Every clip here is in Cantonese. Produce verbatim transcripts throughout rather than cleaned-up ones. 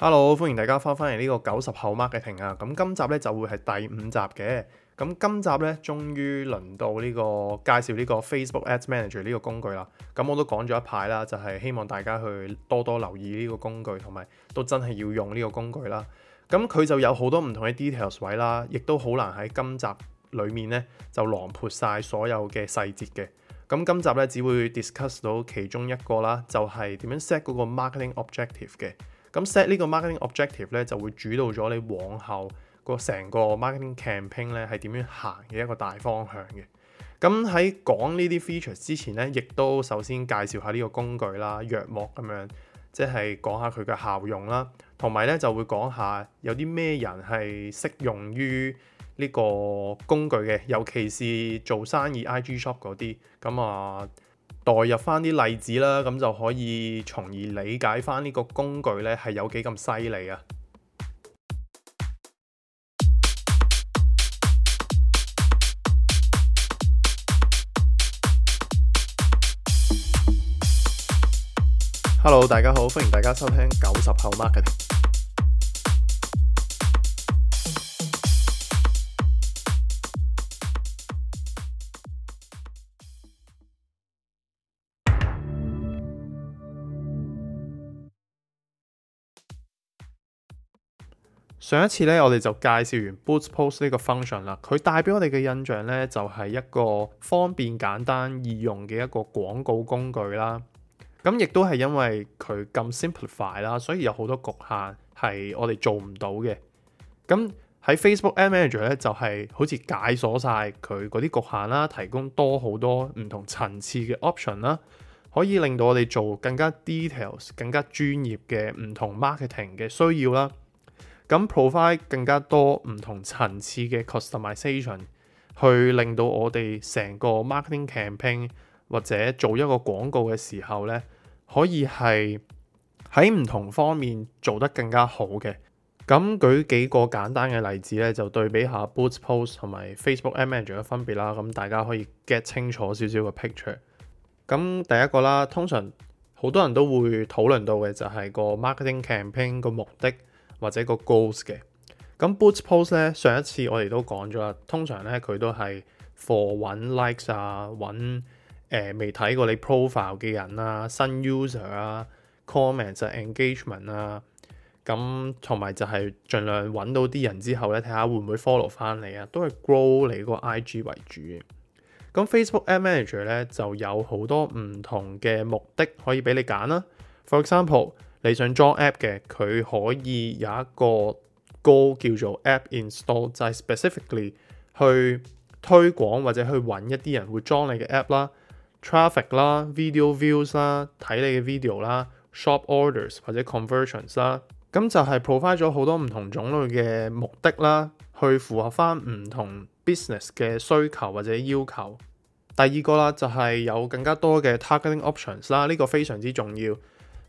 Hello，歡迎大家翻返嚟呢個九十後 marketing 啊！咁今集咧就會係第五集嘅。咁今集咧終於輪到呢個介紹呢個 Facebook Ads Manager 呢個工具啦。咁我都講咗一排啦，就係希望大家去多多留意呢個工具，同埋都真係要用呢個工具啦。咁佢就有好多唔同嘅 details 位啦，亦都好難喺今集裡面咧就囊括晒所有嘅細節嘅。咁今集咧只會 discuss 到其中一個啦，就係點樣 set 嗰個 marketing objective 嘅。咁 set 呢個 marketing objective 咧，就會主導咗你往後個成個 marketing campaign 咧係點樣行嘅一個大方向嘅。咁喺講呢啲 features 之前咧，亦都首先介紹下呢個工具啦，約莫咁樣，即係講下佢嘅效用啦，同埋咧就會講下有啲咩人係適用於呢個工具嘅，尤其是做生意 I G shop 嗰啲，咁啊。代入翻啲例子啦，咁就可以從而理解翻呢個工具咧係有幾咁犀利啊！ Hello， 大家好，歡迎大家收聽九十後 Marketing。上一次咧，我哋就介紹完 Boost Post 呢個 function 啦。佢帶俾我哋嘅印象咧，就係一個方便、簡單、易用嘅一個廣告工具啦。咁亦都係因為佢咁 simplify 啦，所以有好多局限係我哋做唔到嘅。咁喺 Facebook Ad Manager 咧，就係好似解鎖晒佢嗰啲局限啦，提供多好多唔同層次嘅 option 啦，可以令到我哋做更加 details、更加專業嘅唔同 marketing 嘅需要啦。咁 provide 更加多唔同層次嘅 customization， 去令到我哋成個 marketing campaign 或者做一個廣告嘅時候咧，可以係喺唔同方面做得更加好嘅。咁舉幾個簡單嘅例子咧，就對比下 Boost Post 同埋 Facebook Ad Manager 嘅分別啦。咁大家可以 get 清楚少少嘅 picture。咁第一個啦，通常好多人都會討論到嘅就係個 marketing campaign 個目的，或者個 goals 嘅。咁 Boost Post 咧，上一次我哋都講咗啦，通常咧佢都係 for 揾 likes 啊，揾誒未睇過你 profile 嘅人啊，新 user 啊 comments 啊 engagement 啊，咁同埋就係盡量揾到啲人之後咧，睇下會唔會 follow 翻你啊，都係 grow 你個 I G 為主嘅。咁 Facebook Ad Manager 咧就有好多唔同嘅目的可以俾你揀啦。For example，你想裝 app 嘅，佢可以有一個 goal 叫做 app install， 就係 specifically 去推廣或者去揾一啲人會裝你嘅 app 啦、traffic 啦、video views 啦、睇你嘅 video 啦、shop orders 或者 conversions 啦。咁就係 provide 咗好多唔同種類嘅目的啦，去符合翻唔同 business 嘅需求或者要求。第二個啦，就係有更加多嘅 targeting options 啦，呢個非常之重要。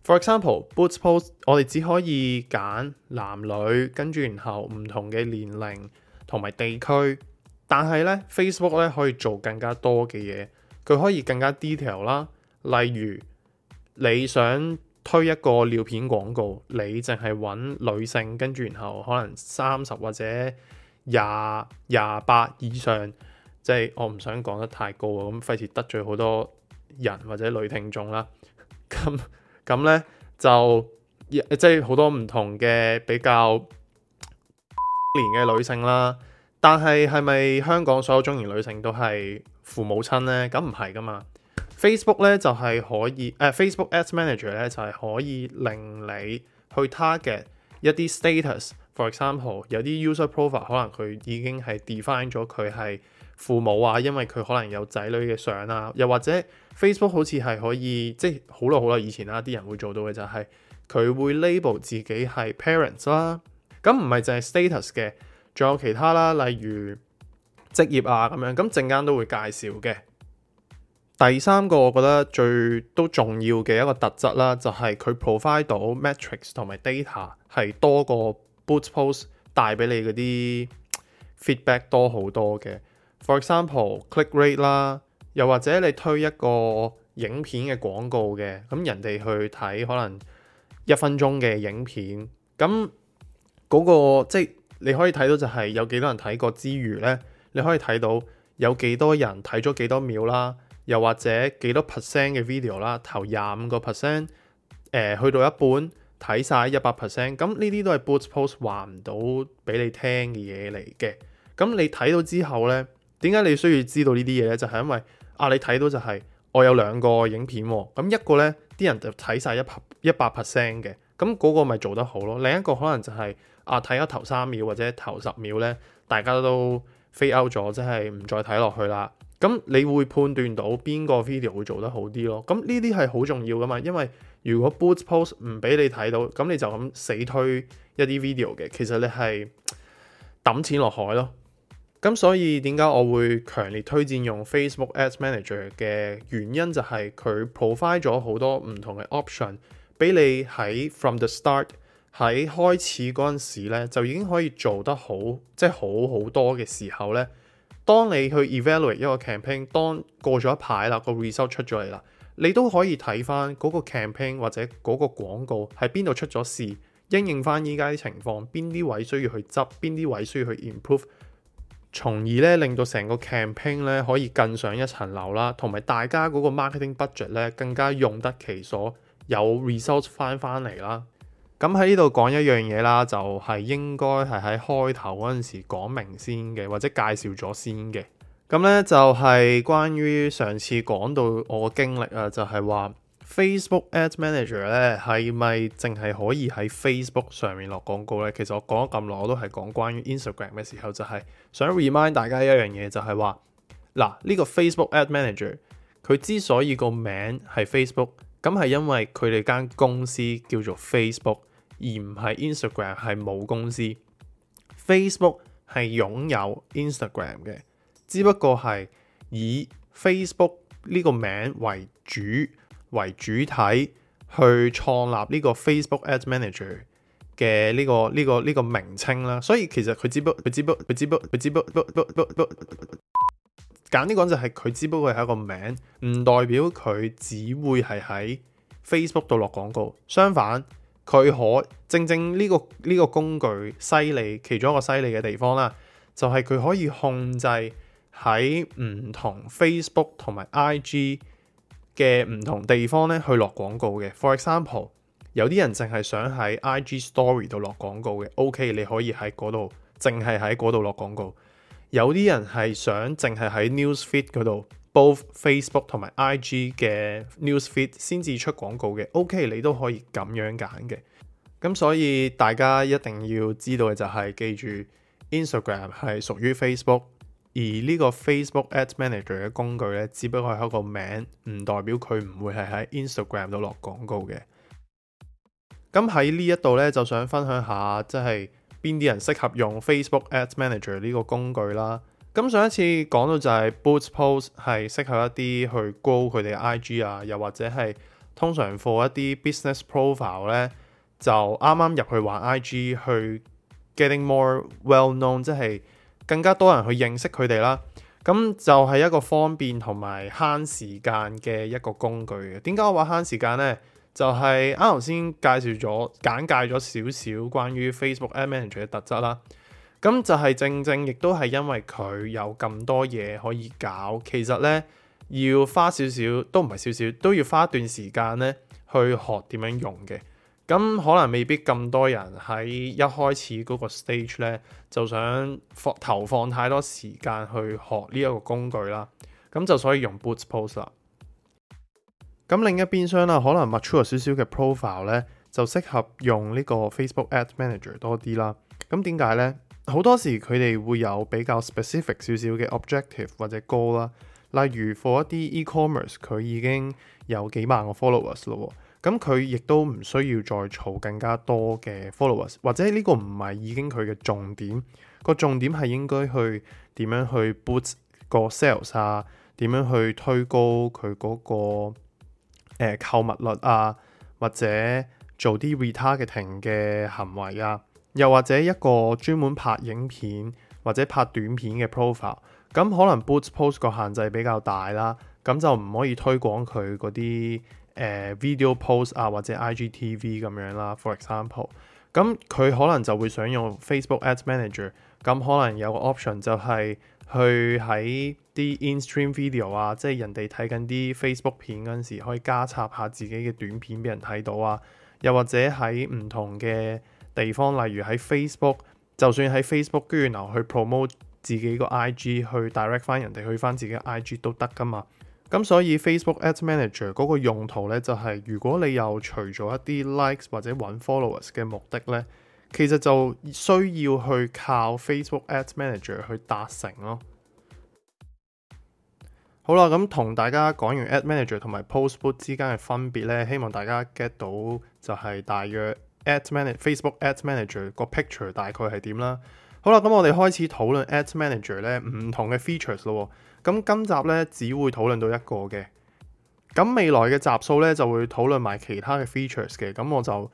For example, Boost Post 我哋只可以揀男女，跟住然後唔同嘅年齡同埋地區，但係咧 Facebook 咧可以做更加多嘅嘢，佢可以更加 detail 啦。例如你想推一個尿片廣告，你淨係揾女性，跟住然後可能三十或者廿廿八以上，即係我唔想講得太高啊，咁費事得罪好多人或者女聽眾啦。咁咁咧就即係好多唔同嘅比較年嘅女性啦，但係係咪香港所有中年女性都係父母親咧？咁唔係噶嘛。Facebook 咧就係、是、可以誒、呃、Facebook Ads Manager 咧就係、是、可以令你去 target 一啲 status。For example， 有啲 user profile 可能佢已經係 define 咗佢係父母啊，因為佢可能有仔女嘅相啊，又或者 Facebook 好似係可以，即係好耐好耐以前啦，啲人會做到嘅就係佢會 label 自己係 parents 啦。咁唔係淨係 status 嘅，仲有其他啦，例如職業啊咁樣，咁陣間都會介紹嘅。第三個我覺得最都重要嘅一個特質啦，就係佢 provide 到 metrics 同埋 data 係多過 Boost Post 帶俾你嗰啲 feedback 多好多嘅。For example, click rate 啦，又或者你推一個影片嘅廣告嘅，咁人哋去睇可能一分鐘嘅影片，咁嗰、個即係你可以睇到就係有幾多人睇過之餘呢，你可以睇到有幾多人睇咗幾多秒啦，又或者幾多 percent 嘅 video 啦，頭廿五個 percent，誒去到一半睇晒一百 percent，咁呢啲都係 Boost Post 話唔到俾你聽嘅嘢嚟嘅。咁你睇到之後呢，點解你需要知道呢啲嘢呢？就係、是、因為啊，你睇到就係、是、我有兩個影片喎，咁一個呢啲人就睇晒一百一百 percent 嘅，咁嗰個咪做得好咯。另一個可能就係、是、啊睇咗頭三秒或者頭十秒呢，大家都 fade out 咗，即係唔再睇落去啦。咁你會判斷到邊個 video 會做得好啲咯。咁呢啲係好重要噶嘛，因為如果 Boost Post 唔俾你睇到，咁你就咁死推一啲 video 嘅，其實你係抌錢落海咯。咁所以點解我會強烈推薦用 Facebook Ads Manager 嘅原因就係佢 provide 咗好多唔同嘅 option 俾你喺 from the start 喺開始嗰陣時咧就已經可以做得好，即係好好多嘅時候咧。當你去 evaluate 一個 campaign， 當過咗一排啦，個 result 出咗嚟啦，你都可以睇翻嗰個 campaign 或者嗰個廣告喺邊度出咗事，因應翻依家啲情況，邊啲位需要去執，邊啲位需要去 improve， 從而咧令到成個 campaign 咧可以更上一層樓啦，同埋大家嗰個 marketing budget 咧更加用得其所，有 result 翻翻嚟啦。咁喺呢度講一樣嘢啦，就係、是、應該係喺開頭嗰陣時講明先嘅，或者介紹咗先嘅。咁咧就係、是、關於上次講到我嘅經歷啊，就係、是、話 Facebook Ads Manager 咧係咪淨係可以喺 Facebook 上面落廣告咧？其實我講咗咁耐，我都係講關於 Instagram 嘅時候，就係、是、想 remind 大家一樣嘢，就係話嗱呢個 Facebook Ads Manager 佢之所以個名係 Facebook， 咁係因為佢哋間公司叫做 Facebook。而唔係 Instagram 係冇公司 ，Facebook 係擁有 Instagram 嘅，只不過係以 Facebook 呢個名為主為主體去創立呢個 Facebook Ads Manager 嘅呢個呢個呢個名稱啦。所以其實佢只不佢只不佢只不佢只不不不不不簡單講就係佢只不過係一個名，唔代表佢只會係喺 Facebook 度落廣告。相反，佢可正正呢、這個呢、這個工具犀利，其中一個犀利嘅地方啦，就係、是、佢可以控制喺唔同 Facebook 同埋 I G 嘅唔同地方咧去落廣告嘅。For example， 有啲人淨係想喺 I G Story 度落廣告嘅 ，OK， 你可以喺嗰度淨係喺嗰度落廣告。有啲人係想淨係喺 Newsfeed 嗰度 ，both Facebook 同埋 I G 嘅 Newsfeed 先至出廣告嘅 ，OK， 你都可以咁樣揀嘅。咁所以大家一定要知道嘅就係、是、記住 Instagram 係屬於 Facebook， 而呢個 Facebook Ads Manager 嘅工具咧，只不過係一個名，唔代表佢唔會係喺 Instagram 度落廣告嘅。咁喺呢一度咧，就想分享下即係邊啲人適合用 Facebook Ads Manager 呢個工具啦。咁上一次講到就係 Boost Post 係適合一啲去 grow 佢哋嘅 I G 啊，又或者係通常 for 一啲 business profile 咧，就啱啱入去玩 I G 去 getting more well known， 即係更加多人去認識佢哋啦。咁就係一個方便同埋慳時間嘅一個工具嘅。點解我話慳時間呢？就係啱頭先介紹咗簡介咗少少關於 Facebook Ad Manager 嘅特質啦。咁就係正正亦都係因為佢有咁多嘢可以搞，其實呢，要花少少都唔係少少，都要花一段時間呢去學點樣用嘅。咁可能未必咁多人喺一開始嗰個 stage 呢，就想放投放太多時間去學呢一個工具啦。咁就所以用 Boost Post 啦。咁另一邊廂啦，可能 mature 少少嘅 profile 呢，就適合用呢個 Facebook Ads Manager 多啲啦。咁點解呢？好多時佢哋會有比較 specific 少少嘅 objective 或者 goal 啦。例如 for 一啲 e-commerce， 佢已經有幾萬個 followers 咯。咁佢亦都唔需要再儲更加多嘅 followers， 或者呢個唔係已經佢嘅重點。個重點係應該去點樣去 boost 個 sales 啊，點樣去推高佢嗰個誒購物率啊，或者做啲 retargeting 嘅行為啊，又或者一個專門拍影片或者拍短片嘅 profile， 咁可能 Boost Post 個限制比較大啦，咁就唔可以推廣佢嗰啲誒 video post 啊或者 I G T V 咁樣啦 for example，咁佢可能就會想用 Facebook Ads Manager，咁可能有個 option 就係去喺啲 in-stream video 啊，即係人哋睇緊啲 Facebook 片嗰陣時，可以加插下自己嘅短片俾人睇到啊。又或者喺唔同嘅地方，例如喺 Facebook， 就算喺 Facebook 跟住然後去 promote 自己個 I G， 去 direct 翻人哋去翻自己 I G 都得噶嘛。咁所以 Facebook Ads Manager 嗰個用途咧，就係、是、如果你有除咗一啲 likes 或者揾 followers 嘅目的咧，其實就需要去靠 Facebook Ads Manager 去達成咯。好啦，咁同大家講完 Ad Manager 同埋 Postbook 之間嘅分別咧，希望大家 get 到就係大約 Ad Manager Facebook Ads Manager 個 picture 大概係點啦。好啦，咁我哋開始討論 Ads Manager 咧唔同嘅 features 咯。咁今集咧只會討論到一個嘅，咁未來嘅集數咧就會討論埋其他嘅 features 嘅。咁我就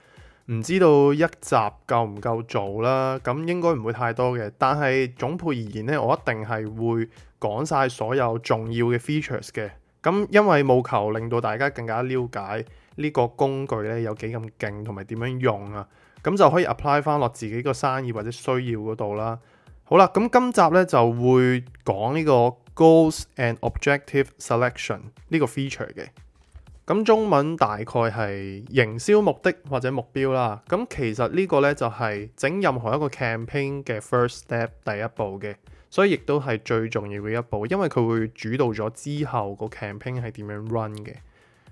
唔知道一集夠唔夠做啦，咁應該唔會太多嘅。但係總括而言咧，我一定係會講晒所有重要嘅 features 嘅。咁因為務求令到大家更加了解呢個工具咧有幾咁勁同埋點樣用啊，咁就可以 apply 翻落自己個生意或者需要嗰度啦。好啦，咁今集咧就會講呢個 Goals and Objective Selection 呢個 feature 嘅。咁中文大概係營銷目的或者目標啦。咁其實呢個咧就係整任何一個 campaign 嘅 first step 第一步嘅，所以亦都係最重要嘅一步，因為佢會主導咗之後個 campaign 係點樣 run 嘅。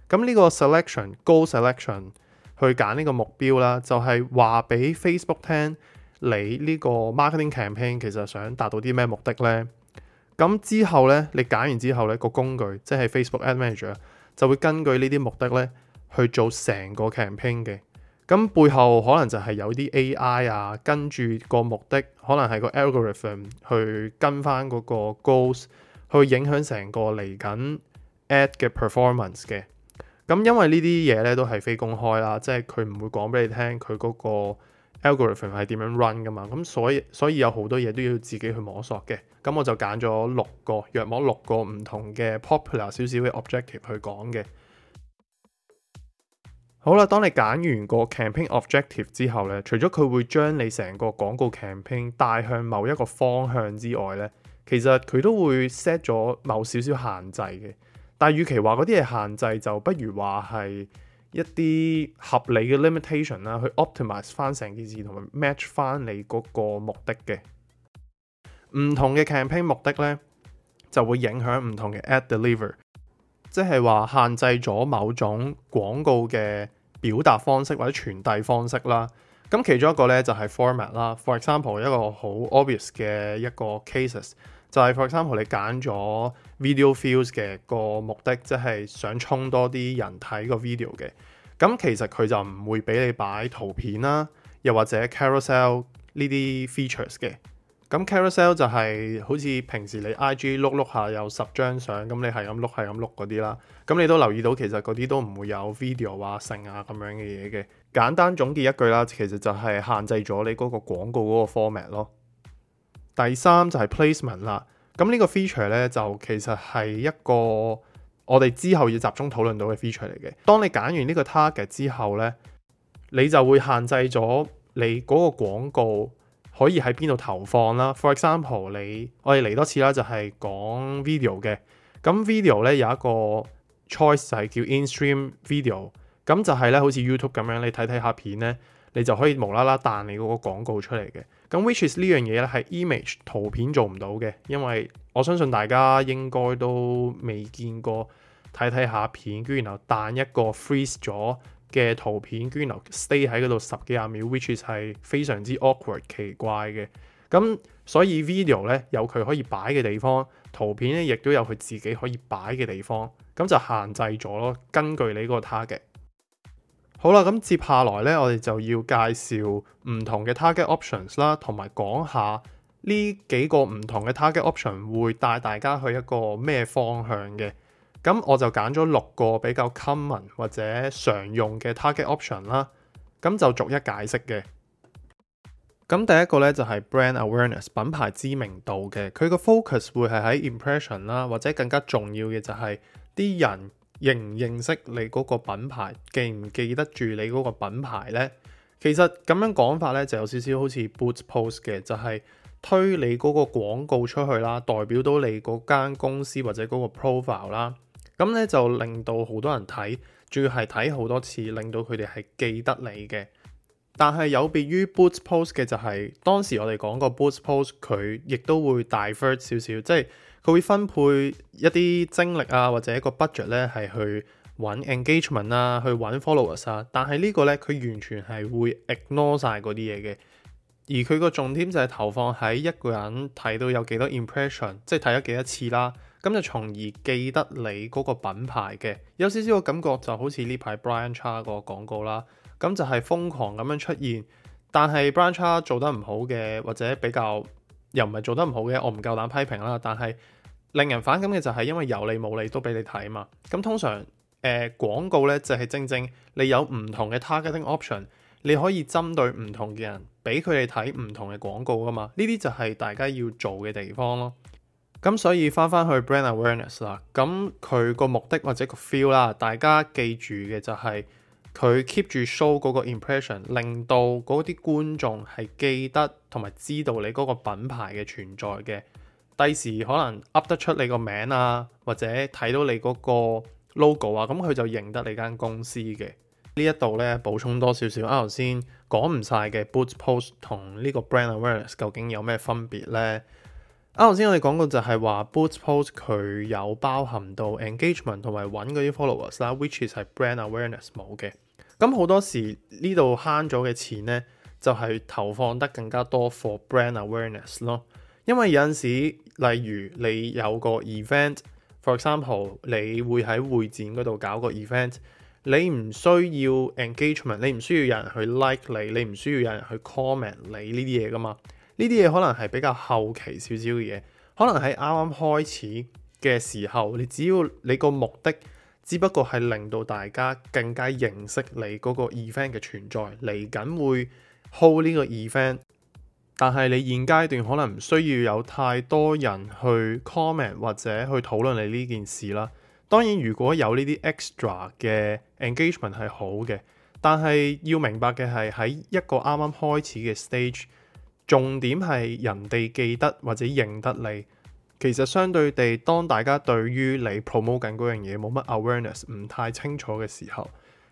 咁呢個 selection goal selection 去揀呢個目標啦，就係話俾 Facebook 聽。你呢個 marketing campaign 其實想達到啲咩目的呢？咁之後呢，你揀完之後呢，個工具即係 Facebook Ad Manager 就會根據呢啲目的呢去做成個 campaign 嘅。咁背後可能就係有啲 A I 啊，跟住個目的可能係個 algorithm 去跟翻嗰個 goals 去影響成個嚟緊 ad 嘅 performance 嘅。咁因為呢啲嘢呢都係非公開啦，即係佢唔會講俾你聽佢嗰個algorithm 係點樣 run 噶嘛，咁所以所以有好多嘢都要自己去摸索嘅。咁我就揀咗六個，約莫六個唔同嘅 popular 少少嘅 objective 去講嘅。好啦，當你揀完個 campaign objective 之後咧，除咗佢會將你成個廣告 campaign 帶向某一個方向之外咧，其實佢都會 set 咗某少少限制嘅。但係與其話嗰啲嘢限制，就不如話係一啲合理嘅 limitation 啦，去 optimize 翻成件事同埋 match 翻你嗰個目的嘅。唔同嘅 campaign 目的咧，就會影響唔同嘅 ad deliver， 即係話限制咗某種廣告嘅表達方式或者傳遞方式啦。咁其中一個咧就係 format 啦。For example， 一個好 obvious 嘅一個 cases 就係 for example 你揀咗 video views 嘅個目的，即係想衝多啲人睇個 video 嘅。咁其實佢就唔會俾你擺圖片啦，又或者 carousel 呢啲 features 嘅。咁 carousel 就係好似平時你 I G 碌碌下有十張相，咁你係咁碌係咁碌嗰啲啦。咁你都留意到其實嗰啲都唔會有 video 啊、成啊咁樣嘅嘢嘅。簡單總結一句啦，其實就係限制咗你嗰個廣告嗰個 format 咯。第三就係 placement 啦。咁呢個 feature 咧就其實係一個我哋之後要集中討論到嘅 feature 嚟嘅。當你揀完呢個 target 之後咧，你就會限制咗你嗰個廣告可以喺邊度投放啦。For example， 你我哋嚟多次啦，就係講 video 嘅。咁 video 咧有一個 choice 就係叫 in-stream video。咁就係咧好似 YouTube 咁樣，你睇睇下片咧，你就可以無啦啦彈你嗰個廣告出嚟嘅。咁 which is 呢樣嘢咧係 image 圖片做唔到嘅，因為我相信大家應該都未見過睇睇下片，跟住然後彈一個 freeze 咗嘅圖片，跟住然後 stay 喺嗰度十幾廿秒 ，which is 係非常之 awkward 奇怪嘅。咁所以 video 咧有佢可以擺嘅地方，圖片咧亦都有佢自己可以擺嘅地方，咁就限制咗咯。根據你嗰個 target。好啦，咁接下來咧，我哋就要介紹唔同嘅 target options 啦，同埋講下呢幾個唔同嘅 target option 會帶大家去一個咩方向嘅。咁我就揀咗六個比較 common 或者常用嘅 target option 啦，咁就逐一解釋嘅。咁第一個咧就係 brand awareness 品牌知名度嘅，佢個 focus 會係喺 impression 啦，或者更加重要嘅就係啲人認唔認識你嗰個品牌，記唔記得住你嗰個品牌呢？其實咁樣講法咧，就有少少好似 Boost Post 嘅，就係推你嗰個廣告出去啦，代表到你嗰間公司或者嗰個 profile 啦，咁咧就令到好多人睇，仲要係睇好多次，令到佢哋係記得你嘅。但係有別於 Boost Post 嘅就係、是、當時我哋講過 Boost Post 佢亦都會 divert 少少，即係佢會分配一啲精力啊或者一個 budget 咧係去揾 engagement 啊，去揾 followers 啊。但係呢個咧佢完全係會 ignore 晒嗰啲嘢嘅，而佢個重點就係投放喺一個人睇到有幾多 impression， 即係睇咗幾多次啦，咁就從而記得你嗰個品牌嘅。有少少個感覺就好似呢排 Brian Cha 個廣告啦。咁就係瘋狂咁樣出現，但係 Brian Cha 做得唔好嘅，或者比較又唔係做得唔好嘅，我唔夠膽批評啦。但係令人反感嘅就係因為有理冇理都俾你睇嘛。咁通常誒、呃、廣告呢，就係、是、正正你有唔同嘅 targeting option，你可以針對唔同嘅人，俾佢哋睇唔同嘅廣告噶嘛。呢啲就係大家要做嘅地方咯。咁所以翻翻去 brand awareness 啦，咁佢個目的或者個 feel 啦，大家記住嘅就係、是。佢 keep 住 show 嗰個 impression，令到嗰啲觀眾係記得同埋知道你嗰個品牌嘅存在嘅。第時可能噏得出你個名啊，或者睇到你嗰個 logo 啊，咁佢就認得你間公司嘅。呢一度咧補充多少少，啱頭先講唔晒嘅 Boost Post 同呢個 brand awareness 究竟有咩分別呢？啱頭先我哋講過就係話 Boost Post 佢有包含到 engagement 同埋揾嗰啲 followers 啦 ，which is 係 brand awareness 冇嘅。咁好多時呢度慳咗嘅錢呢，就係、是、投放得更加多 for brand awareness 咯。因為有陣時，例如你有個 event，for example，你會喺會展嗰度搞個 event，你唔需要 engagement，你唔需要有人去 like 你，你唔需要有人去 comment 你呢啲嘢噶嘛。呢啲嘢可能係比較後期少少嘅嘢，可能喺啱啱開始嘅時候，你只要你個目的，只不過係令到大家更加認識你嗰個 event 嘅存在，嚟緊會 hold 呢個 event， 但係你現階段可能唔需要有太多人去 comment 或者去討論你呢件事啦。當然如果有呢啲 extra 嘅 engagement 係好嘅，但係要明白嘅係喺一個啱啱開始嘅 stage， 重點係人哋記得或者認得你。其實相對地，當大家對於你 promote 緊嗰樣嘢冇乜 awareness， 唔太清楚嘅時候，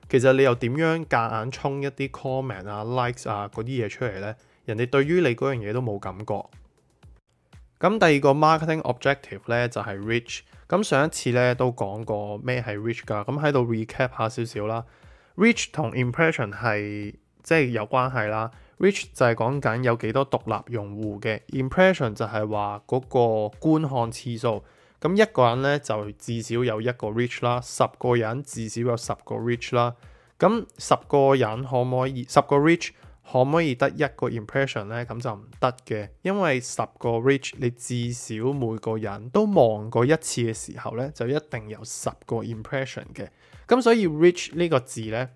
其實你又點樣夾硬衝一啲 comment 啊、likes 啊嗰啲嘢出嚟呢？人哋對於你嗰樣嘢都冇感覺。咁第二個 marketing objective 呢，就係 reach。咁上一次呢都講過咩係 reach 㗎，咁喺度 recap 下少少啦。reach 同 impression 係即係有關係啦。reach 就係講緊有幾多獨立用戶嘅 impression 就係話嗰個觀看次數。咁一個人咧就至少有一個 reach 啦，十個人至少有十個 reach 啦。咁十個人可唔可以十個 reach 可唔可以得一個 impression 咧？咁就唔得嘅，因為十個 reach 你至少每個人都望過一次嘅時候咧，就一定有十個 impression 嘅。咁所以 reach 呢個字咧，誒、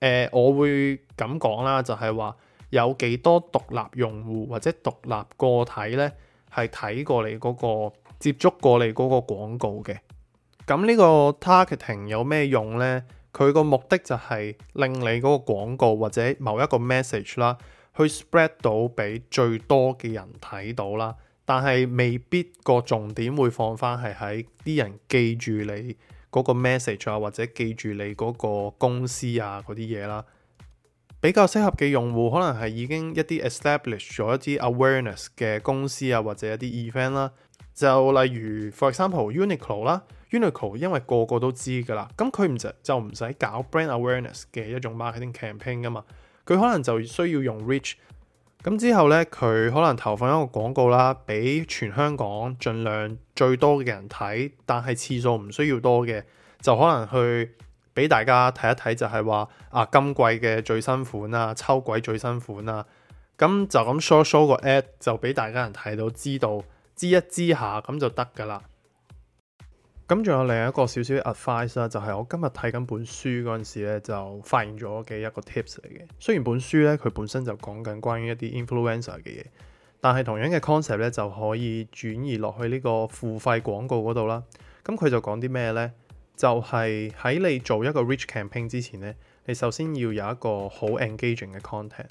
呃、我會咁講啦，就係話。有幾多獨立用戶或者獨立個體呢？係睇過你嗰個接觸過你嗰個廣告嘅。咁呢個 targeting 有咩用呢？佢個目的就係令你嗰個廣告或者某一個 message 啦，去 spread 到俾最多嘅人睇到啦。但係未必個重點會放翻係喺啲人記住你嗰個 message 啊，或者記住你嗰個公司啊嗰啲嘢啦。比較適合嘅用戶可能係已經一啲 establish 咗一啲 awareness 嘅公司啊，或者一啲 event 啦。就例如 for example Uniqlo 啦 ，Uniqlo 因為個個都知㗎啦，咁佢唔就就唔使搞 brand awareness 嘅一種 marketing campaign 㗎嘛。佢可能就需要用 reach。咁之後呢，佢可能投放一個廣告啦，俾全香港盡量最多嘅人睇，但係次數唔需要多嘅，就可能去。俾大家睇一睇就係話啊，今季嘅最新款啊，秋季最新款啊，咁就咁 show show 個 ad 就俾大家人睇到，知道知一知下咁就得噶啦。咁仲有另一個少少 advice 啦，就係我今日睇緊本書嗰陣時咧，就發現咗嘅一個 tips 嚟嘅。雖然本書咧佢本身就講緊關於一啲 influencer 嘅嘢，但係同樣嘅 concept 咧就可以轉移落去呢個付費廣告嗰度啦。咁佢就講啲咩呢？就係喺你做一個 reach campaign 之前咧，你首先要有一個好 engaging 嘅 content。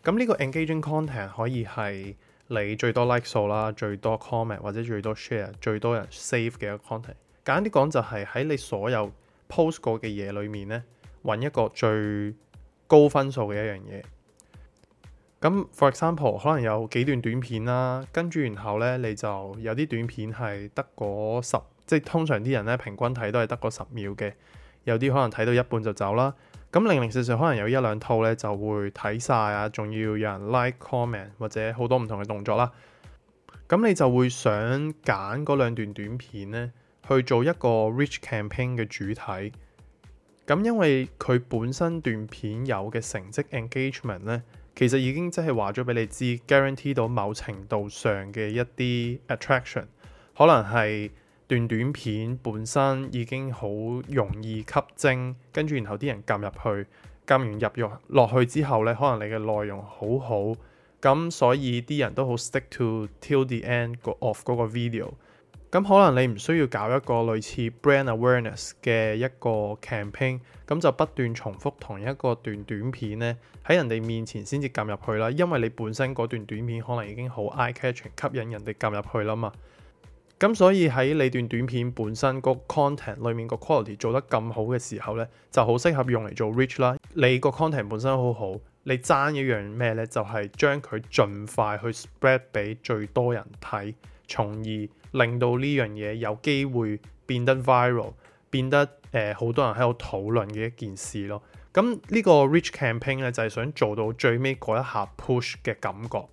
咁呢個 engaging content 可以係你最多 like 數啦，最多 comment 或者最多 share， 最多人 save 嘅一個 content。簡單啲講就係喺你所有 post 過嘅嘢裏面咧，揾一個最高分數嘅一樣嘢。咁 for example 可能有幾段短片啦，跟住然後咧你就有啲短片係得嗰十，即係通常啲人咧平均睇都係得嗰十秒嘅，有啲可能睇到一半就走啦。咁零零碎碎可能有一兩套咧就會睇晒啊，仲要有人 like comment 或者好多唔同嘅動作啦。咁你就會想揀嗰兩段短片咧去做一個 rich campaign 嘅主體。咁因為佢本身段片有嘅成績 engagement 咧，其實已經即係話咗俾你知 guarantee 到某程度上嘅一啲 attraction， 可能係段短片本身已經好容易吸睛，跟住然後啲人撳入去，撳完入肉落去之後咧，可能你嘅內容好好，咁所以啲人都好 stick to till the end of 嗰個 video。咁可能你唔需要搞一個類似 brand awareness 嘅一個 campaign， 咁就不斷重複同一個段短片咧喺人哋面前先至撳入去啦，因為你本身嗰段短片可能已經好 eye catching， 吸引人哋撳入去啦嘛。咁所以喺你段短片本身個 content 裏面個 quality 做得咁好嘅時候咧，就好適合用嚟做 reach 啦。你個 content 本身好好，你爭一樣咩咧？就係將佢盡快去 spread 俾最多人睇，從而令到呢樣嘢有機會變得 viral， 變得誒好、呃、多人喺度討論嘅一件事咯。咁呢個 reach campaign 咧就係、是、想做到最尾嗰一下 push 嘅感覺。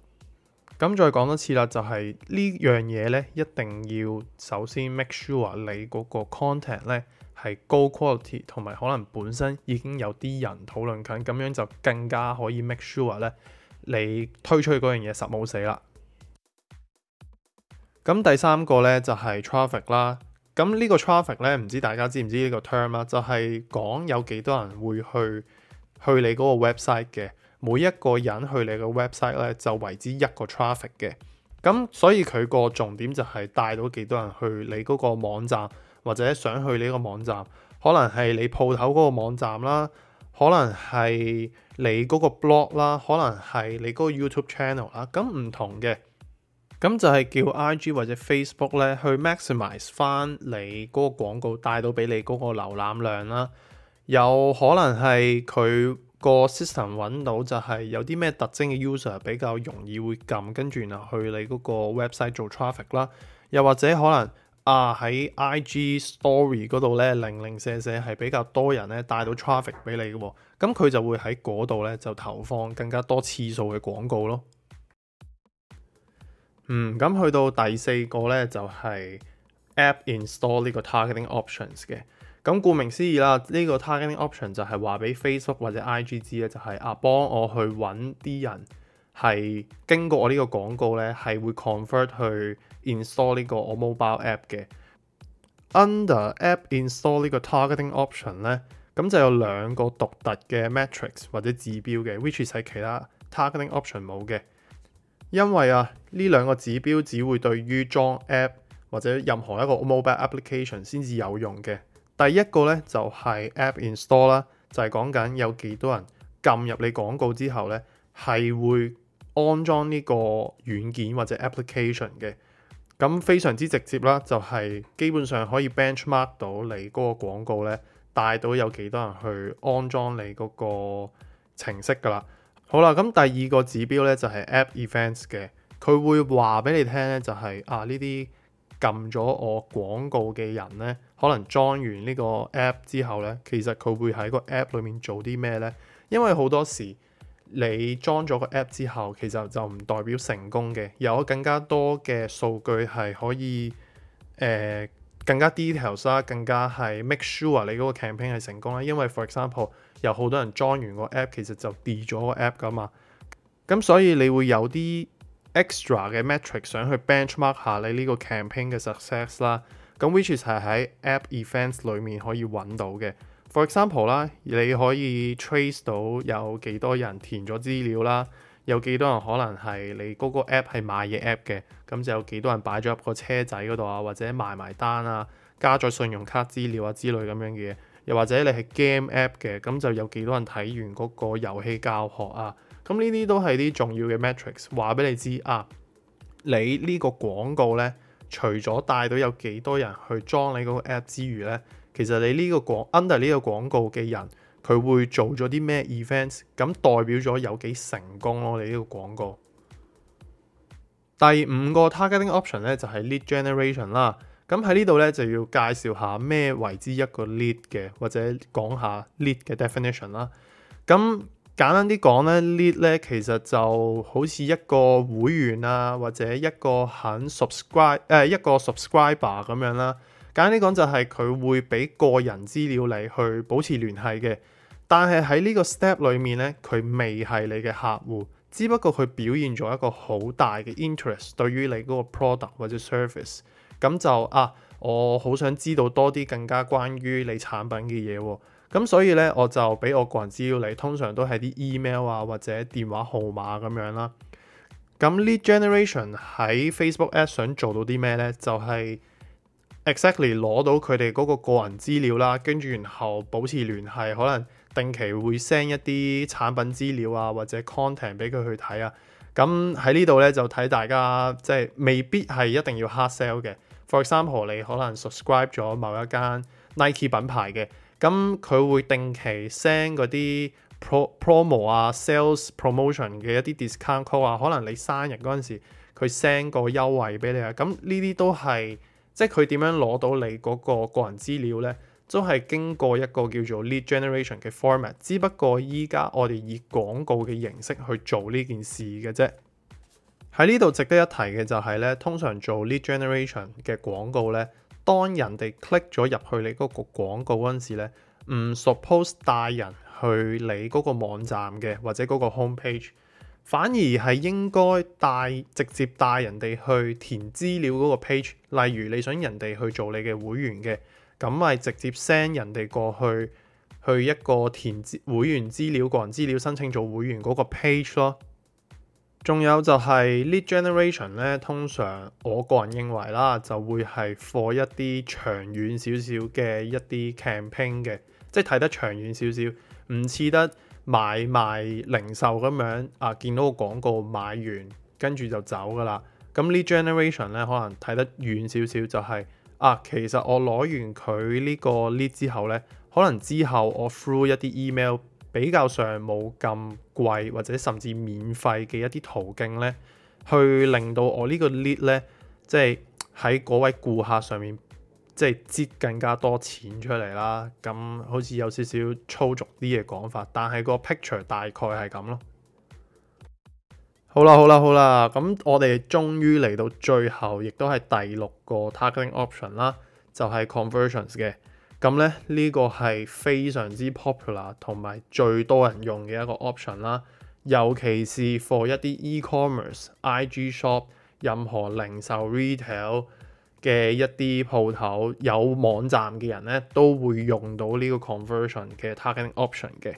咁再講多次啦，就係、是、呢樣嘢咧，一定要首先 make sure 你嗰個 content 咧係高 quality， 同埋可能本身已經有啲人討論緊，咁樣就更加可以 make sure 咧你推出去嗰樣嘢實冇死啦。咁第三個咧就係、是、traffic 啦。咁呢個 traffic 咧，唔知大家知唔知呢個 term 啦？就係講有幾多人會去去你嗰個 website 嘅。每一個人去你個 website 咧，就為之一個 traffic 嘅。咁所以佢個重點就係帶到幾多人去你嗰個網站，或者想去你個網站，可能係你鋪頭嗰個網站啦，可能係你嗰個 blog 啦，可能係你嗰個 YouTube channel 啦。咁唔同嘅，咁就係叫 I G 或者 Facebook 咧去 maximize 翻你嗰個廣告帶到俾你嗰個瀏覽量啦。有可能係佢個 system 揾到就係有啲咩特徵嘅 user 比較容易會撳，跟住然後去你嗰個 website 做 traffic 啦。又或者可能啊喺 I G story 嗰度咧零零舍舍係比較多人咧帶到 traffic 俾你嘅喎，咁佢就會喺嗰度咧就投放更加多次數嘅廣告咯。嗯，咁去到第四個咧就係、是、app install 呢個 targeting options 嘅。咁顧名思義啦，呢、這個 targeting option 就係話俾 Facebook 或者 I G 知咧，就係、是、啊幫我去揾啲人係經過我呢個廣告咧，係會 convert 去 install 呢個我 mobile app 嘅。Under app install 呢個 targeting option 咧，咁就有兩個獨特嘅 metrics 或者指標嘅 ，which is 係其他 targeting option 冇嘅。因為啊呢兩個指標只會對於裝 app 或者任何一個 mobile application 先至有用嘅。第一個咧就係、是、app install 啦，就係講緊有幾多人撳入你廣告之後咧，係會安裝呢個軟件或者 application 嘅。咁非常之直接啦，就係、是、基本上可以 benchmark 到你嗰個廣告咧，帶到有幾多人去安裝你嗰個程式噶啦。好啦，咁第二個指標咧就係、是、app events 嘅，佢會話俾你聽咧，就係、是、啊呢啲撳咗我廣告嘅人咧，可能裝完呢個 app 之後咧，其實佢會喺個 app 裏面做啲咩咧？因為好多時你裝咗個 app 之後，其實就唔代表成功嘅，有更加多嘅數據係可以誒、呃、更加 details 啦，更加係 make sure 你嗰個 campaign 係成功啦。因為 for example 有好多人裝完個 app，其實就 delete 咗個 app 噶嘛，咁所以你會有啲 extra 嘅 metric 想去 benchmark 下你呢個 campaign 嘅 success 啦，咁 which is 係喺 app events 裏面可以揾到嘅。For example 啦，你可以 trace 到有幾多人填咗資料啦，有幾多人可能係你嗰個 app 係買嘢 app 嘅，咁就有幾多人擺咗入個車仔嗰度啊，或者埋埋單啊，加咗信用卡資料啊之類咁樣嘅嘢，又或者你係 game app 嘅，咁就有幾多人睇完嗰個遊戲教學啊？咁呢啲都係啲重要嘅 metrics， 話俾你知啊。你呢個廣告呢，除咗帶到有幾多人去裝你嗰個 app 之餘呢，其實你呢個廣 under 呢個廣告嘅人，佢會做咗啲咩 events， 咁代表咗有幾成功咯。你呢個廣告。第五個 targeting option 呢，就係 lead generation 啦。咁喺呢度咧就要介紹下咩為之一個 lead 嘅，或者講下 lead 嘅 definition 啦。咁簡單啲講咧 lead 咧其實就好似一個會員啊，或者一個肯 subscribe 誒、呃、一個 subscriber 咁樣啦。簡單啲講就係佢會俾個人資料你去保持聯繫嘅，但係喺呢個 step 裏面咧，佢未係你嘅客戶，只不過佢表現咗一個好大嘅 interest 對於你嗰個 product 或者 service。咁就啊，我好想知道多啲更加關於你產品嘅嘢喎。咁所以咧，我就俾我個人資料你，通常都係啲 email 啊或者電話號碼咁樣啦。咁 lead generation 喺 Facebook Ads 想做到啲咩咧？就係 exactly 攞到佢哋嗰個個人資料啦，跟住然後保持聯繫，可能定期會 send 一啲產品資料啊或者 content 俾佢去睇啊。咁喺呢度咧就睇大家即係未必係一定要 hard sell 嘅。For example， 你可能 subscribe 咗某一間 Nike 品牌嘅，咁佢會定期 send 嗰啲 pro promo 啊、sales promotion 嘅一啲 discount code 啊，可能你生日嗰陣時佢 send 個優惠俾你啊，咁呢啲都係即係佢點樣攞到你嗰個個人資料呢？都係經過一個叫做 lead generation 嘅 format， 只不過依家我哋以廣告嘅形式去做呢件事嘅啫。喺呢度值得一提嘅就係咧，通常做 lead generation 嘅廣告咧，當人哋 click 咗入去你嗰個廣告嗰陣時咧，唔 suppose 帶人去你嗰個網站嘅或者嗰個 home page， 反而係應該帶直接帶人哋去填資料嗰個 page。例如你想人哋去做你嘅會員嘅，咁咪直接 send 人哋過去去一個填會員資料、個人資料申請做會員嗰個 page 咯。仲有就係 lead generation 咧，通常我個人認為啦，就會係 for 一啲長遠少少嘅一啲 campaign 嘅，即係睇得長遠少少，唔似得買賣零售咁樣啊，見到個廣告買完跟住就走噶啦。咁 lead generation 咧，可能睇得遠少少，就係啊，其實我攞完佢呢個 lead 之後咧，可能之後我 through 一啲 email。比較上冇咁貴或者甚至免費嘅一啲途徑咧，去令到我呢個 lead 咧，即係喺嗰位顧客上面，即係擠更加多錢出嚟啦。咁好似有少少粗俗啲嘅講法，但係個 picture 大概係咁咯。好啦好啦好啦，咁我哋終於嚟到最後，亦都係第六個 targeting option 啦，就係 conversions 嘅。咁咧呢個係非常之 popular 同埋最多人用嘅一個 option 啦，尤其是 for 一啲 e-commerce、I G shop、任何零售 retail 嘅一啲鋪頭有網站嘅人咧，都會用到呢個 conversion 嘅 targeting option 嘅。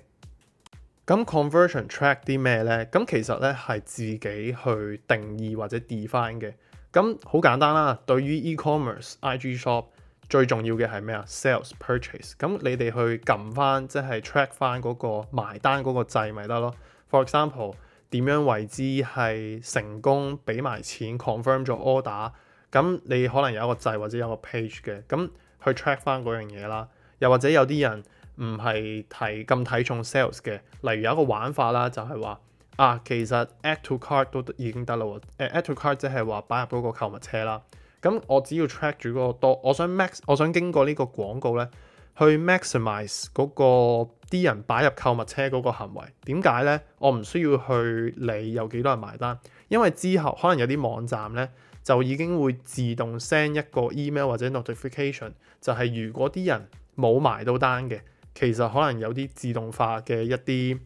咁 conversion track 啲咩咧？咁其實咧係自己去定義或者 define 嘅。咁好簡單啦，對於 e-commerce、I G shop。最重要嘅係咩啊 ？Sales purchase。咁你哋去撳翻，即係 track 翻嗰個埋單嗰個掣咪得咯。For example，點樣為之係成功俾埋錢 confirm 咗 order？咁你可能有一個掣或者有個 page 嘅，咁去 track 翻嗰樣嘢啦。又或者有啲人唔係睇咁睇重 sales 嘅，例如有一個玩法啦，就係話啊，其實 add to cart 都已經得啦喎。誒 add to cart 即係話擺入嗰個購物車啦。咁我只要 track 住嗰個多，我想 max， 我想經過呢個廣告咧，去 maximize 嗰個啲人擺入購物車嗰個行為。點解咧？我唔需要去理有幾多人埋單，因為之後可能有啲網站咧就已經會自動 send 一個 email 或者 notification， 就係如果啲人冇埋到單嘅，其實可能有啲自動化嘅一啲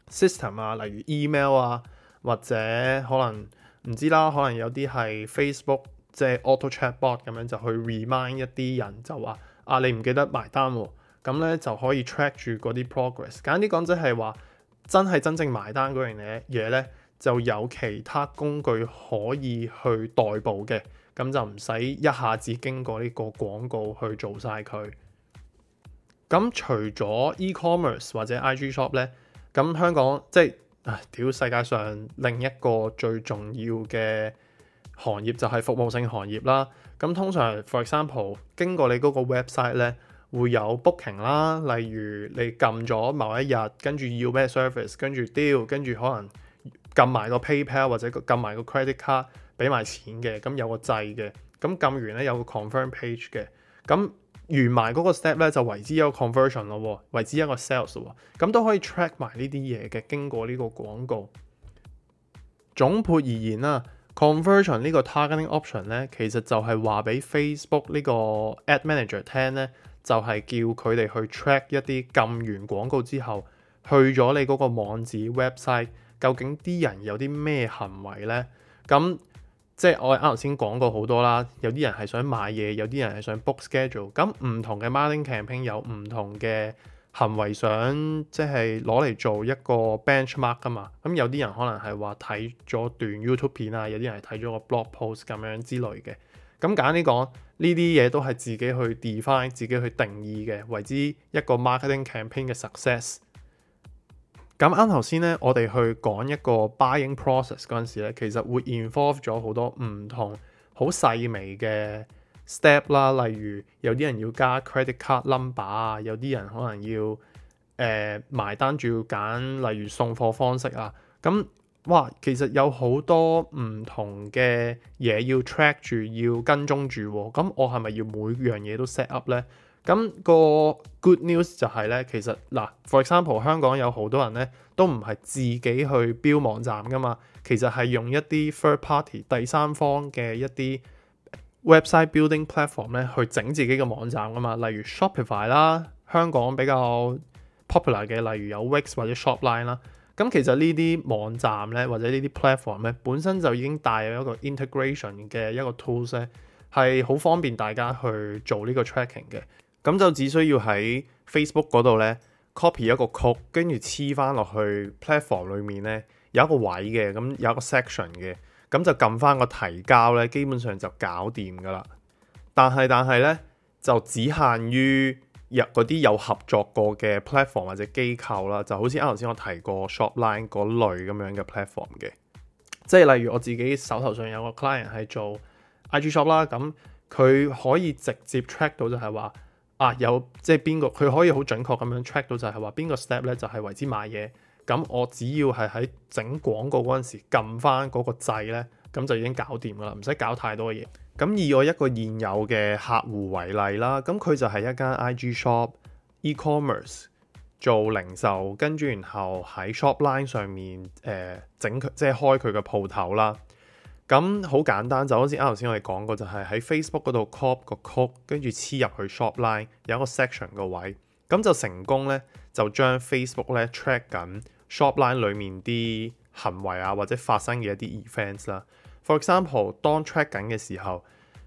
system 啊，例如 email 啊，或者可能唔知啦，可能有啲係 Facebook。即係 auto chatbot 咁樣就去 remind 一啲人就話啊，你唔記得埋單喎，咁咧就可以 track 住嗰啲 progress。簡單啲講，即係話真係真正埋單嗰樣嘢嘢咧，就有其他工具可以去代步嘅，咁就唔使一下子經過呢個廣告去做晒佢。咁咁除咗 e-commerce 或者 I G shop 咧，咁香港即係啊屌世界上另一個最重要嘅行業就係服務性行業啦。咁通常 for example 經過你嗰個 website 咧，會有 booking 啦，例如你撳咗某一日，跟住要咩 service， 跟住 deal， 跟住可能撳埋個 PayPal 或者撳埋個 credit card 俾埋錢嘅，咁有個掣嘅，咁撳完咧有個 confirm page 嘅，咁完埋嗰個 step 咧就為之一個 conversion 咯，為之一個 sales 咯，咁都可以 track 埋呢啲嘢嘅，經過呢個廣告。總括而言啦，conversion 呢個 targeting option 咧，其實就係話俾 Facebook 呢個 ad manager 聽咧，就係叫佢哋去 track 一啲撳完廣告之後去咗你嗰個網址 website， 究竟啲人有啲咩行為咧？咁即係我啱頭先講過好多啦，有啲人係想買嘢，有啲人係想 book schedule， 咁唔同嘅 marketing campaign 有唔同嘅行為想即係攞嚟做一個 benchmark 噶嘛，咁有啲人可能係話睇咗段 YouTube 片啊，有啲人係睇咗個 blog post 咁樣之類嘅。咁簡單啲講，呢啲嘢都係自己去 define、自己去定義嘅，為之一個 marketing campaign 嘅 success。咁啱頭先咧，我哋去講一個 buying process 嗰陣時咧，其實會 involve 咗好多唔同好細微嘅 step 啦，例如有啲人要加 credit card number 啊，有啲人可能要誒、呃、埋單仲要揀，例如送貨方式啊，咁哇，其實有好多唔同嘅嘢要 track 住，要跟蹤住喎，咁我係咪要每樣嘢都 set up 咧？咁個 good news 就係咧，其實嗱 for example 香港有好多人咧都唔係自己去標網站噶嘛，其實係用一啲 third party 第三方嘅一啲 website building platform 咧去整自己嘅網站噶嘛，例如 Shopify 啦，香港比較 popular 嘅，例如有 Wix 或者 Shopline 啦。咁其實呢啲網站咧或者呢啲 platform 咧本身就已經帶有一個 integration 嘅一個 tools 咧，係好方便大家去做呢個 tracking 嘅。咁就只需要喺 Facebook 嗰度咧 copy 一個 code， 跟住黐翻落去 platform 裏面咧有一個位嘅，咁有一個 section 嘅，咁就撳翻個提交咧，基本上就搞掂噶啦。但係但係咧就只限於入嗰啲有合作過嘅 platform 或者機構啦，就好似啱頭先我提過 Shopline 嗰類咁樣嘅 platform 嘅，即係例如我自己手頭上有個 client 係做 I G shop 啦，咁佢可以直接 track 到就係話。啊，有即係邊個佢可以好準確咁樣 track 到就係話邊個 step 咧就係為之買嘢，咁我只要係喺整廣告嗰陣時撳翻嗰個掣咧，咁就已經搞掂噶啦，唔使搞太多嘢。咁以我一個現有嘅客戶為例啦，咁佢就係一間 I G shop e-commerce 做零售，跟住然後喺 Shopline 上面誒、呃、整佢即係開佢嘅鋪頭啦。咁好簡單，就好似啱頭先我哋講過，就係喺 Facebook 嗰度 copy 個 code，跟住黐入去 Shopline 有一個 section 個位，咁就成功咧，就將 Facebook 咧 track 緊 Shopline 裡面啲行為啊，或者發生嘅一啲 events 啦。For example， 當 track 緊嘅時候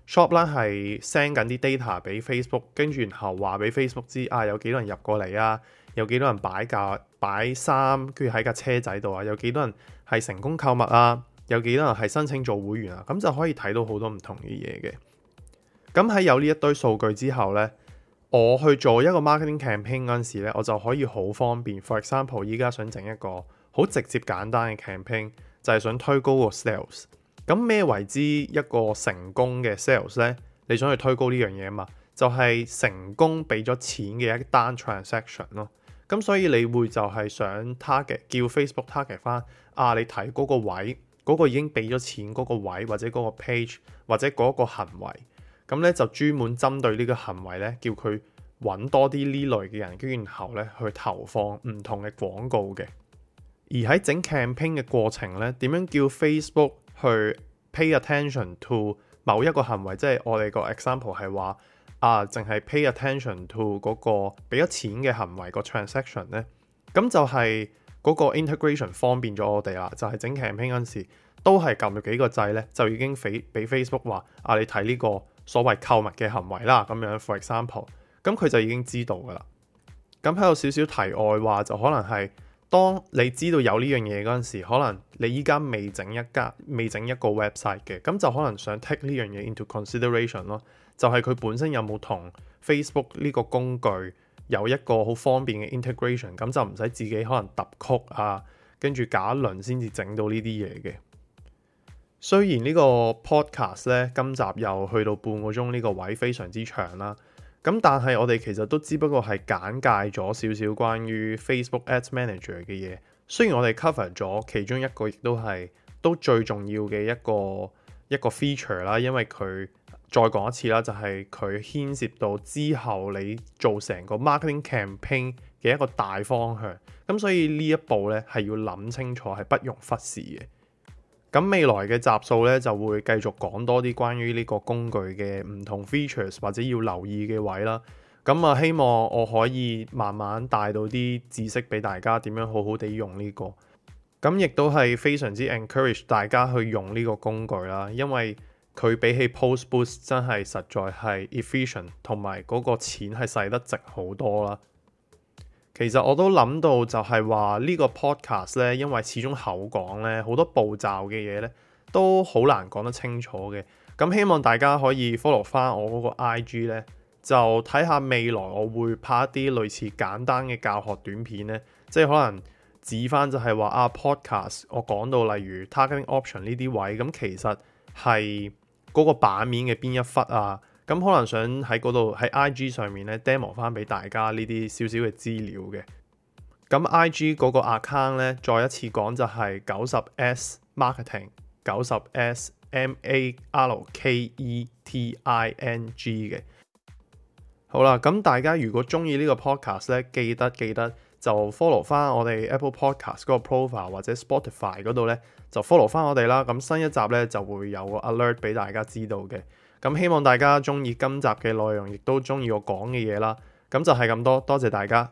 ，Shopline 係 send 緊啲 data 俾 Facebook， 跟住然後話俾 Facebook 知啊，有幾多人入過嚟啊，有幾多人擺架擺衫，跟住喺架車仔度啊，有幾多人係成功購物啊。有幾多人係申請做會員啊？咁就可以睇到好多唔同嘅嘢嘅。咁喺有呢一堆數據之後呢，我去做一個 marketing campaign 嗰陣時呢，我就可以好方便。For example， 依家想整一個好直接簡單嘅 campaign，就係想推高個 sales。咁咩為之一個成功嘅 sales 呢？你想去推高呢樣嘢嘛？就係、是、成功俾咗錢嘅一單 transaction 咯。咁所以你會就係想 target 叫 Facebook target 翻啊，你睇嗰個位。嗰個已經俾咗錢嗰個位或者嗰個 page 或者嗰個行為，咁咧就專門針對呢個行為咧，叫佢揾多啲呢類嘅人，跟住然後咧去投放唔同嘅廣告嘅。而喺整 campaign 嘅過程咧，點樣叫 Facebook 去 pay attention to 某一個行為？即係我哋個 example 係話啊，淨係 pay attention to 嗰個俾咗錢嘅行為個 transaction 咧，咁就係、是。嗰個 integration 方便咗我哋啦，就係、是、整 campaign 嗰陣時都係撳咗幾個掣咧，就已經俾俾 Facebook 話啊，你睇呢個所謂購物嘅行為啦，咁樣 for example，咁佢就已經知道噶啦。咁喺度少少題外話，就可能係當你知道有呢樣嘢嗰陣時，可能你依家未整一家未整一個 website 嘅，咁就可能想 take 呢樣嘢 into consideration 咯，就係佢本身有冇同 Facebook 呢個工具有一個好方便嘅 integration，咁就唔使自己可能揼曲啊，跟住搞一輪先至整到呢啲嘢嘅。雖然呢個 podcast 咧今集又去到半個鐘呢個位非常之長啦，咁但係我哋其實都只不過係簡介咗少少關於 Facebook Ads Manager 嘅嘢。雖然我哋 cover 咗其中一個，亦都係都最重要嘅一個一個 feature 啦，因為佢再講一次啦，就係佢牽涉到之後你做成個 marketing campaign 嘅一個大方向，咁所以呢一步咧係要諗清楚，係不容忽視嘅。咁未來嘅集數咧就會繼續講多啲關於呢個工具嘅唔同 features 或者要留意嘅位啦。咁啊，希望我可以慢慢帶到啲知識俾大家，點樣好好地用呢個。咁亦都係非常之 encourage 大家去用呢個工具啦，因為佢比起 Post Boost 真係實在係 efficient，同埋嗰個錢係使得值好多啦。其實我都諗到就係話呢個 podcast 咧，因為始終口講咧，好多步驟嘅嘢咧都好難講得清楚嘅。咁希望大家可以 follow 翻我嗰個 I G 咧，就睇下未來我會拍一啲類似簡單嘅教學短片咧，即係可能指翻就係話啊 podcast 我講到例如 targeting option 呢啲位，咁其實係嗰個版面嘅邊一忽啊，咁可能想喺嗰度喺 I G 上面咧 demo 翻俾大家呢啲少少嘅資料嘅。咁 I G 嗰個 account 咧，再一次講就係九十 S marketing 九十 S M A R K E T I N G 嘅。好啦，咁大家如果中意呢個 podcast 咧，記得記得就 follow 翻我哋 Apple Podcast 嗰個 profile 或者 Spotify 嗰度咧，就 follow 翻我哋啦。咁新一集咧就會有個 alert 俾大家知道嘅。咁希望大家中意今集嘅內容，亦都中意我講嘅嘢啦。咁就係咁多，多謝大家。